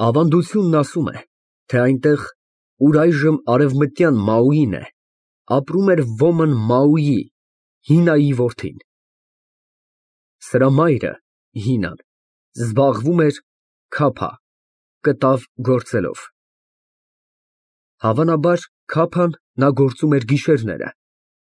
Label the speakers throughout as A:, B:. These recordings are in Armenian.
A: Ավանդությունն ասում է, թե այնտեղ, ուր այժմ արևմտյան Մաուին է, ապրում էր ոմն Մաուի՝ Հինայի որդին։ Սրա մայրը՝ Հինան, զբաղվում էր կտավ գործելով։ Հավանաբար քափան նա գործում էր գիշերները,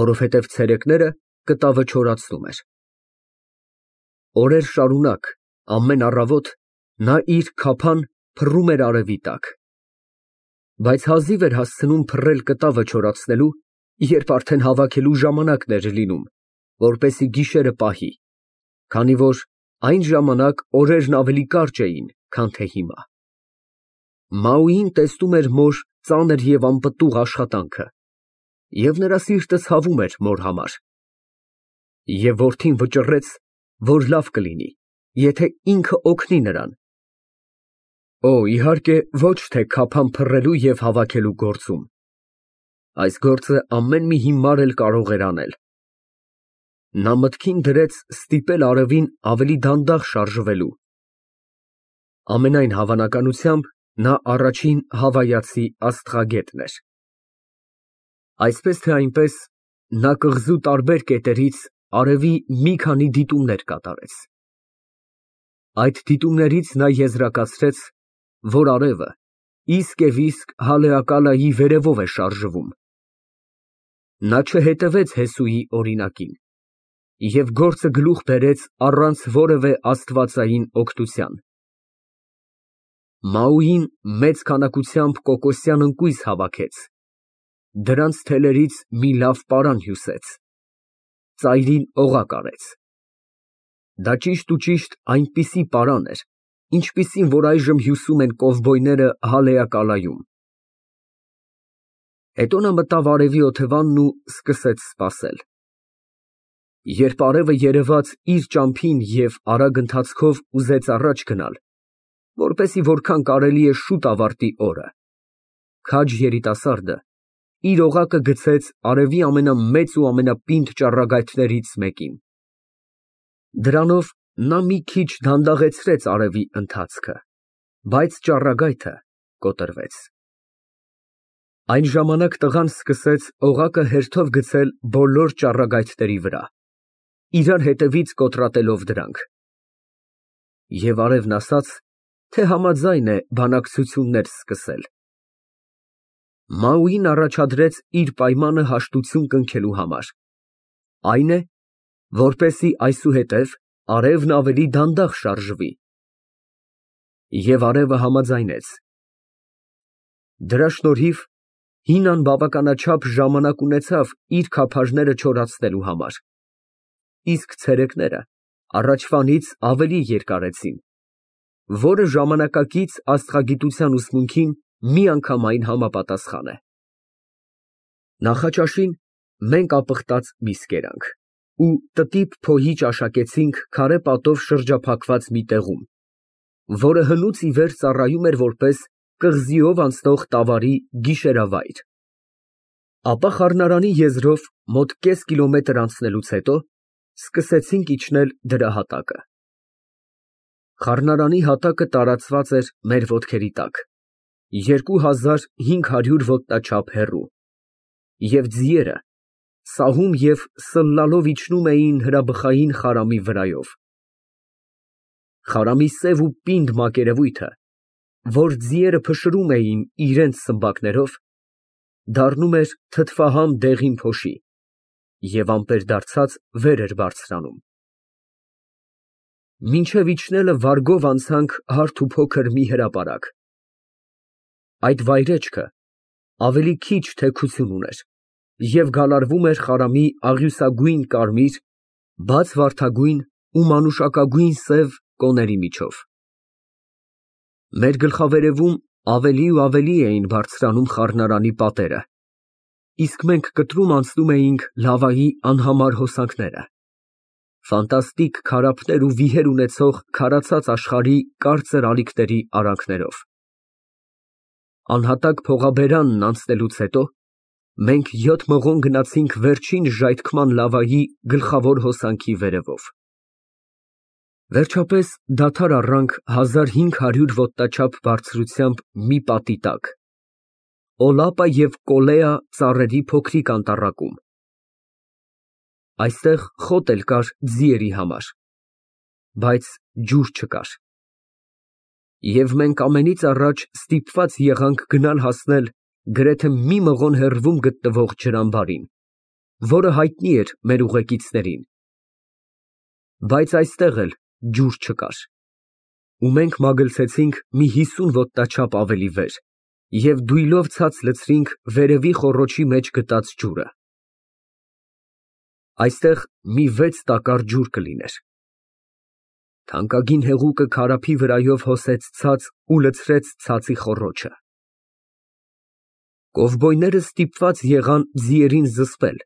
A: որովհետև ցերեկները կտավը չորացնում էր։ Օրեր շարունակ ամեն առավոտ նա իր քափան փռում էր արևի տակ, բայց հազիվ էր հասցնում փռել կտավը չորացնելու, երբ արդեն հավաքելու ժամանակն էր լինում, որպեսզի գիշերը պահի, քանի որ այն ժամանակ օրերն ավելի կարճ էին, քան թե հիմա։ Մաուին տեսնում էր մոր ծանր և անպտուղ աշխատանքը, և նրա սիրտը ցավում էր մոր համար։ Եվ որդին վճռեց, որ լավ կլինի, եթե ինքը օգնի նրան։ Իհարկե, ոչ թե քափան փռելու և հավաքելու գործում, այս գործը ամեն մի հիմար էլ կարող էր անել։ Նա մտքին դրեց ստիպել արևին ավելի դանդաղ շարժվելու։ Ամենայն հավանականությամբ, նա առաջին հավայացի աստղագետն էր։ Այսպես թե այնպես, նա կղզու տարբեր կետերից արևի մի քանի դիտումներ կատարեց։ Այդ դիտումներից նա եզրակացրեց, որ արևը իսկ հալեակալայի վերևով է շարժվում։ Նա չհետևեց Հեսուի օրինակին և գործը գլուխ բերեց առանց որևէ աստվածային օգնության։ Մաուին մեծ քանակությամբ կոկոսյան ընկույզ հավաքեց, դրանց թելերից մի լավ պարան հյուսեց, ծայրին օղակ արեց։ Դա ճիշտ այնպիսի պարան էր, ինչպիսին որ այժմ հյուսում են կովբոյները Հալեակալայում։ Հետո նա մտավ արևի օթևանն ու սկսեց սպասել։ Երբ արևը երևաց իր ճամփին և արագ ընթացքով ուզեց առաջ գնալ, որպեսզի որքան կարելի է շուտ ավարտի օրը, քաջ երիտասարդը իր օղակը գցեց արևի ամենամեծ ու ամենապինդ ճառագայթներից մեկին։ Դրանով նա մի քիչ դանդաղեցրեց արևի ընթացքը, բայց ճառագայթը կոտրվեց։ Այն ժամանակ տղան սկսեց օղակը հերթով գցել բոլոր ճառագայթների վրա, իրար հետևից կոտրատելով դրանք։ Եվ արևն ասաց, թե համաձայն է բանակցություններ սկսել։ Մաուին առաջադրեց իր պայմանը հաշտություն կնքելու համար, այն է, որպեսզի այսուհետև արևն ավելի դանդաղ շարժվի։ Եվ արևը համաձայնեց։ Դրա շնորհիվ Հինան բավականաչափ ժամանակ ունեցավ իր քափարները չորացնելու համար, իսկ ցերեկները առաջվանից ավելի երկարեցին, որը ժամանակակից աստղագիտության ուսմունքին միանգամայն համապատասխան է։ Նախաճաշին մենք ապխտած միս կերանք ու տտիպ փողի ճաշակեցինք քարե պատով շրջափակված մի տեղում, որը հնուց ի վեր ծառայում էր որպես կղզիով անցնող տավարի գիշերավայր։ Ապա խառնարանի եզրով մոտ կես կիլոմետր անցնելուց հետո սկսեցինք իջնել դրա հատակը։ Խառնարանի հատակը տարածված էր մեր ոտքերի տակ, 2500 ոտնաչափ հեռու, և ձիերը սահում և սլլալով իջնում էին հրաբխային խարամի վրայով։ Խարամի սև ու պինդ մակերևույթը, որ ձիերը փշրում էին իրենց սմբակներով, դառնում էր թթվահամ դեղին փոշի և ամպեր դարձած վեր էր բարձրանում։ Մինչև իջնելը վարգով անցանք հարթ ու փոքր մի հրապարակ։ Այդ վայրեջքը ավելի քիչ թեքություն ուներ և գալարվում էր խարամի աղյուսագույն կարմիր, բաց վարդագույն ու մանուշակագույն սև կոների միջով։ Մեր գլխավերևում ավելի ու ավելի էին բարձրանում խառնարանի պատերը, իսկ մենք կտրում անցնում էինք լավայի անհամար հոսանքները, ֆանտաստիկ քարափներ ու վիհեր ունեցող քարացած աշխարհի կարծր ալիքների արանքներով։ Անհատակ փողաբերանն անցնելուց հետո մենք 7 մղոն գնացինք վերջին ժայթքման լավայի գլխավոր հոսանքի վերևով։ Վերջապես դադար առանք 1500 ոտնաչափ բարձրությամբ մի պատի տակ, Օլապա և Կոլեա ծառերի փոքրիկ անտառակում։ Այստեղ խոտ էլ կար ձիերի համար, բայց ջուր չկար։ Եվ մենք ամենից առաջ ստիպված եղանք գնալ հասնել գրեթե մի մղոն հեռվում գտնվող ջրամբարին, որը հայտնի էր մեր ուղեկիցներին, բայց այստեղ էլ ջուր չկար, ու մենք մագլցեցինք մի 50 ոտնաչափ ավելի վեր և դույլով ցած լցրինք վերևի խոռոչի մեջ գտած ջուրը։ Այստեղ մի 6 տակառ ջուր կլիներ։ Թանկագին հեղուկը քարափի վրայով հոսեց ցած ու լցրեց ցածի խոռոչը։ Կովբոյները ստիպված եղան ձիերին զսպել,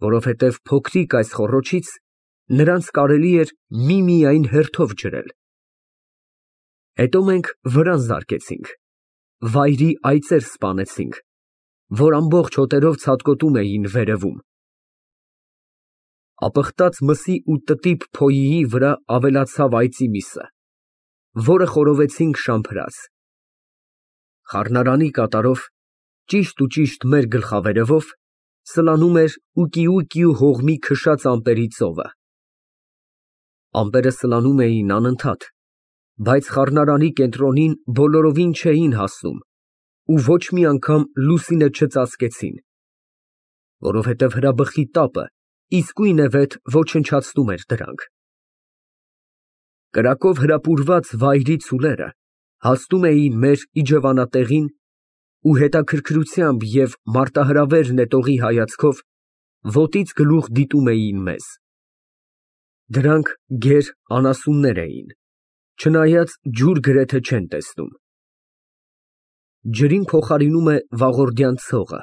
A: որովհետև փոքրիկ այս խոռոչից նրանց կարելի էր միմիայն հերթով ջրել։ Հետո մենք վրան զարկեցինք, վայրի այծեր սպանեցինք, որ ամբողջ հոտերով ցատկոտում էին վերևում։ Ապխտած մսի ու տտիպ փոյիի վրա ավելացավ այծի միսը, որը խորովեցինք շամփրած։ Խառնարանի կատարով, ճիշտ մեր գլխավերևով, սլանում էր ուկիուկիու հողմի քշած ամպերի ծովը։ Ամպերը սլանում էին անընդհատ, բայց խառնարանի կենտրոնին բոլորովին չէին հասնում ու ոչ մի անգամ լուսինը չծածկեցին, որովհետև հրաբխի տապը իսկույնևեթ ոչնչացնում էր դրանք։ Կրակով հրապուրված վայրի ցուլերը հասնում էին մեր իջևանատեղին ու հետաքրքրությամբ և մարտահրավեր նետողի հայացքով ոտից գլուխ դիտում էին մեզ։ Դրանք գեր անասուններ էին, չնայած ջուր գրեթե չեն տեսնում։ Ջրին փոխարինում է վաղորդյան ցողը,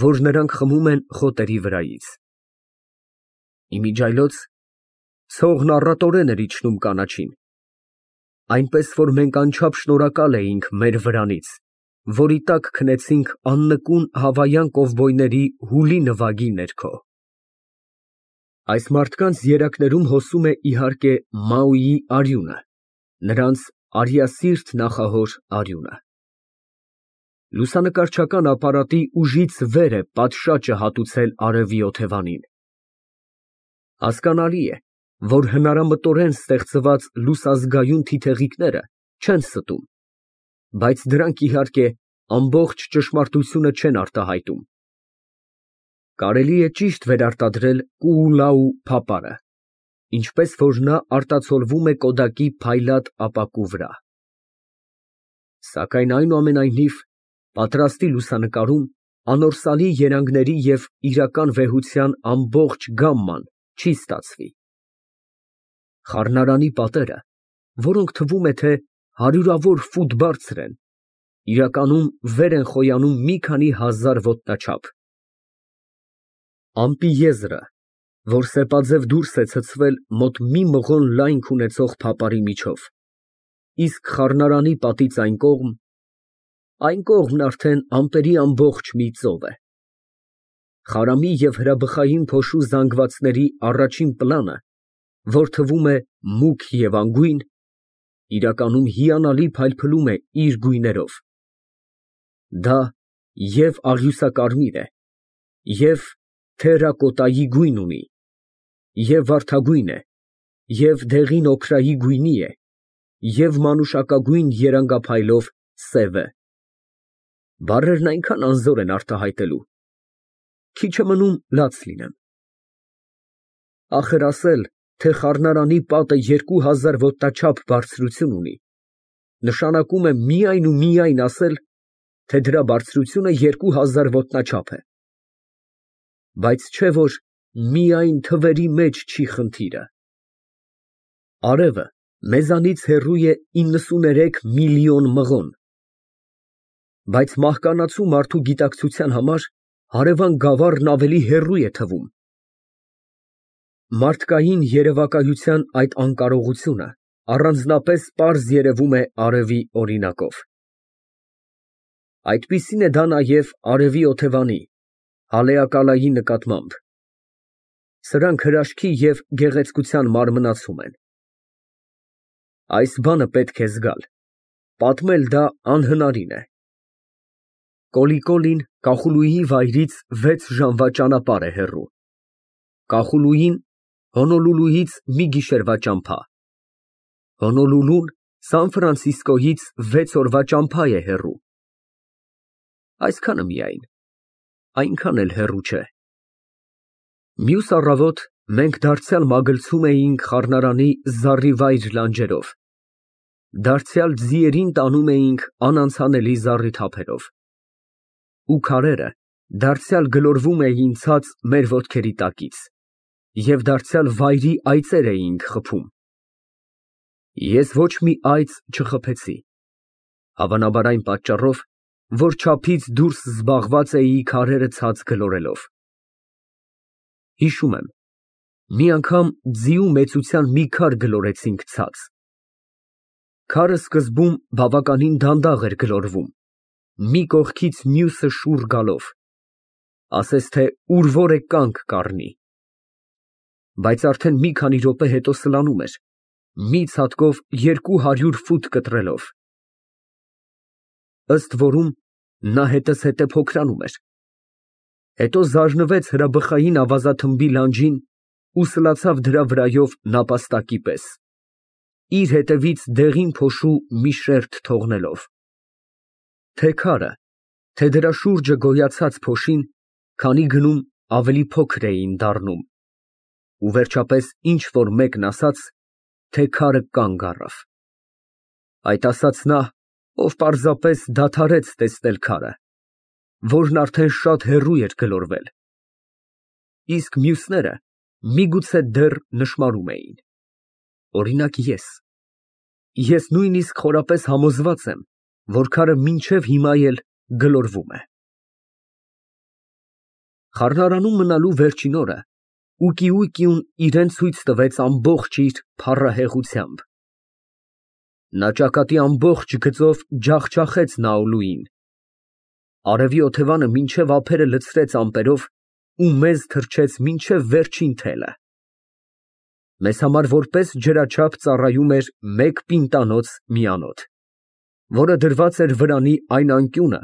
A: որ նրանք խմում են խոտերի վրայից։ Իմիջիայլոց ցողն առատորեն էր իջնում կանաչին, այնպես որ մենք անչափ շնորհակալ էինք մեր վրանից, որի տակ քնեցինք աննկուն հավայան կովբոյների հուլի նվագի ներքո։ Այս մարդկանց երակներում հոսում է իհարկե Մաուիի արյունը, նրանց արիասիրտ նախահոր արյունը։ Լուսանկարչական ապարատի ուժից վեր է պատշաճը հատուցել արևի օթևանին։ Հասկանալի է, որ հնարամտորեն ստեղծված լուսազգայուն թիթեղիկները չեն ստում, բայց դրանք իհարկե ամբողջ ճշմարտությունը չեն արտահայտում։ Կարելի է ճիշտ վերարտադրել Կուուլաու փապարը, ինչպես որ նա արտացոլվում է Կոդակի փայլատ ապակու վրա։ Սակայն այնուամենայնիվ պատրաստի լուսանկարում անորսալի երանգների և իրական վեհության ամբողջ գամման չի ստացվի։ Խառնարանի պատերը, որոնք թվում է, թե հարյուրավոր ֆուտ բարձր են, իրականում վեր են խոյանում մի քանի հազար ոտնաչափ։ Ամպի եզրը, որ սեպաձև դուրս է ցցվել մոտ մի մղոն լայնք ունեցող փապարի միջով, իսկ խառնարանի պատից այն կողմն արդեն ամպերի ամբողջ մի ծով է։ Խարամի և հրաբխային փոշու զանգվածների առաջին պլանը, որ թվում է մուգ և անգույն, իրականում հիանալի փայլփլում է իր գույներով։ Դա և աղյուսակարմիր է, և թերրակոտայի գույն ունի, և վարդագույն է, և դեղին օքրայի գույնի է, և մանուշակագույն երանգափայլով սև է։ Բառերն այնքան անզոր են արտահայտելու, քիչ է մնում լաց լինեմ։ Ախր ասել, թե խառնարանի պատը 2000 ոտնաչափ բարձրություն ունի, նշանակում է միայն ու միայն ասել, թե դրա բարձրությունը 2000 ոտնաչափ է։ Բայց չէ որ միայն թվերի մեջ չի խնդիրը։ Արևը մեզանից հեռու է 93 միլիոն մղոն, բայց մահկանացու մարդու գիտակցության համար հարևան գավառն ավելի հեռու է թվում։ Մարդկային երևակայության այդ անկարողությունը առանձնապես պարզ երևում է արևի օրինակով։ Այդպիսին է դա նաև արևի օթևանի, հալեակալայի նկատմամբ։ Սրանք հրաշքի և գեղեցկության մարմնացում են։ Այս բանը պետք է զգալ, պատմել դա անհնարին է։ Կոլիկոլին Կախուլուի վայրից 6 ժամվա ճանապարհ է հեռու, Կախուլուին Հոնոլուլուից մի գիշերվա ճամփա, Հոնոլուլուն Սան Ֆրանցիսկոյից 6 օրվա ճամփա է հեռու։ Այսքանը միայն, այնքան էլ հեռու չէ։ Մյուս առավոտ մենք դարձյալ մագլցում էինք խառնարանի զառիվայր լանջերով, դարձյալ ձիերին տանում էինք անանցանելի զառիթափերով, ու քարերը դարձյալ գլորվում էին ցած մեր ոտքերի տակից, և դարձյալ վայրի այծեր էինք խփում։ Ես ոչ մի այծ չխփեցի, հավանաբար այն պատճառով, որ չափից դուրս զբաղված էի քարերը ցած գլորելով։ Հիշում եմ, մի անգամ ձիու մեծության մի քար գլորեցինք ցած։ Քարը սկզբում բավականին դանդաղ էր գլորվում, մի կողքից մյուսը շուռ գալով, ասես թե ուր որ է կանգ կառնի, բայց արդեն մի քանի րոպե հետո սլանում էր, մի ցատկով 200 ֆուտ կտրելով։ Ըստ որում, նա հետզհետե փոքրանում էր, հետո զարնվեց հրաբխային ավազաթմբի լանջին ու սլացավ դրա վրայով նապաստակի պես, իր հետևից դեղին փոշու մի շերտ թողնելով։ Թե քարը, թե դրա շուրջը գոյացած փոշին քանի գնում ավելի փոքր էին դառնում, ու վերջապես ինչ որ մեկն ասաց, թե քարը կանգ առավ։ Այդ ասաց նա, ով պարզապես դադարեց տեսնել քարը, որն արդեն շատ հեռու էր գլորվել, իսկ մյուսները միգուցե դեռ նշմարում էին, օրինակ ես նույնիսկ խորապես համոզված եմ, որ քարը մինչև հիմա էլ գլորվում է։ Խառնարանում մնալու վերջին օրը Ուկիուկիուն իրան ցույց տվեց ամբողջ իր փառահեղությամբ։ Նա ճակատի ամբողջ գծով ջախջախեց Նաուլուին, արևի օթևանը մինչև ափերը լցրեց ամպերով ու մեզ թռչեց մինչև վերջին թելը։ Մեզ համար որպես ջրաչափ ծառայում էր մեկ պինտանոց մի անոթ, որը դրված էր վրանի այն անկյունը,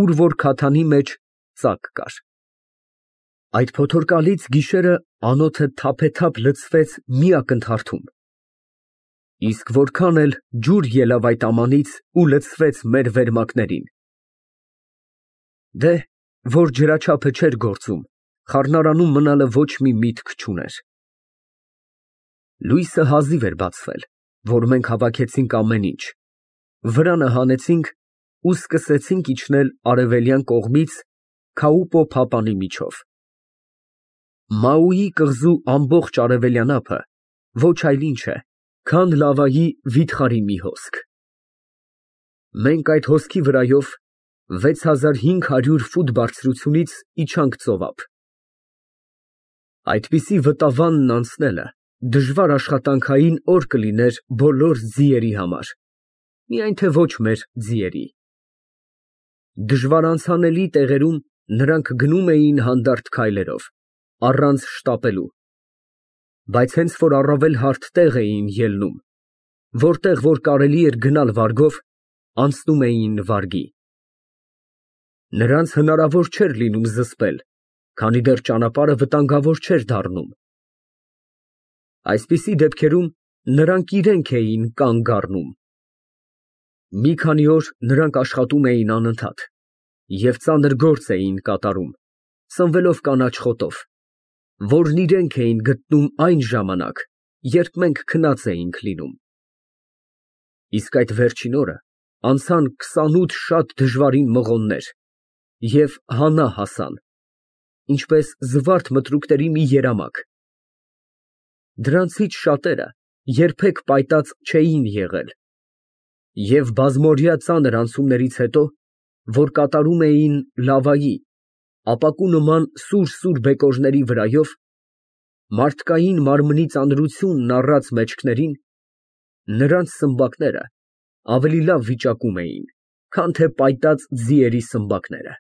A: ուր որ քաթանի մեջ ծակ կար։ Այդ փոթորկալից գիշերը անոթը թափեթափ լցվեց մի ակնթարթում, իսկ որքան էլ ջուր ելավ այդ ամանից ու լցվեց մեր վերմակներին։ Դե, որ ջրաչափը չէր գործում, խառնարանում մնալը ոչ մի միտք չուներ։ Լույսը հազիվ էր բացվել, որ մենք հավաքեցինք ամեն ինչ, վրանը հանեցինք ու սկսեցինք իջնել արևելյան կողմից Քաուպո փապանի միջով։ Մաուի կղզու ամբողջ արևելյան ափը ոչ այլ ինչ է, քան լավայի վիթխարի մի հոսք։ Մենք այդ հոսքի վրայով 6500 ֆուտ բարձրությունից իջանք ծովափ։ Այդպիսի վտավանն անցնելը դժվար աշխատանքային օր կլիներ բոլոր ձիերի համար, միայն թե ոչ մեր ձիերի։ Դժվար անցանելի տեղերում նրանք գնում էին հանդարտ քայլերով, առանց շտապելու, բայց հենց որ առավել հարթ տեղ էին ելնում, որտեղ որ կարելի էր գնալ վարգով, անցնում էին վարգի։ Նրանց հնարավոր չէր լինում զսպել, քանի դեռ ճանապարհը վտանգավոր չէր դառնում։ Այսպիսի դեպքերում նրանք իրենք էին կանգ առնում։ Մի քանի օր նրանք աշխատում էին անընդհատ և ծանր գործ էին կատարում, սնվելով կանաչ խոտով, որն իրենք էին գտնում այն ժամանակ, երբ մենք քնած էինք լինում։ Իսկ այդ վերջին օրը անցան 28 շատ դժվարին մղոններ և հանա հասան, ինչպես զվարթ մտրուկների մի երամակ։ Դրանցից շատերը երբեք պայտած չէին եղել և բազմօրյա ծանր անցումներից հետո, որ կատարում էին լավայի, ապակու նման սուր բեկորների վրայով, մարդկային մարմնի ծանրությունն առած մեջքներին, նրանց սմբակները ավելի լավ վիճակում էին, քան թե պայտած ձիերի սմբակները։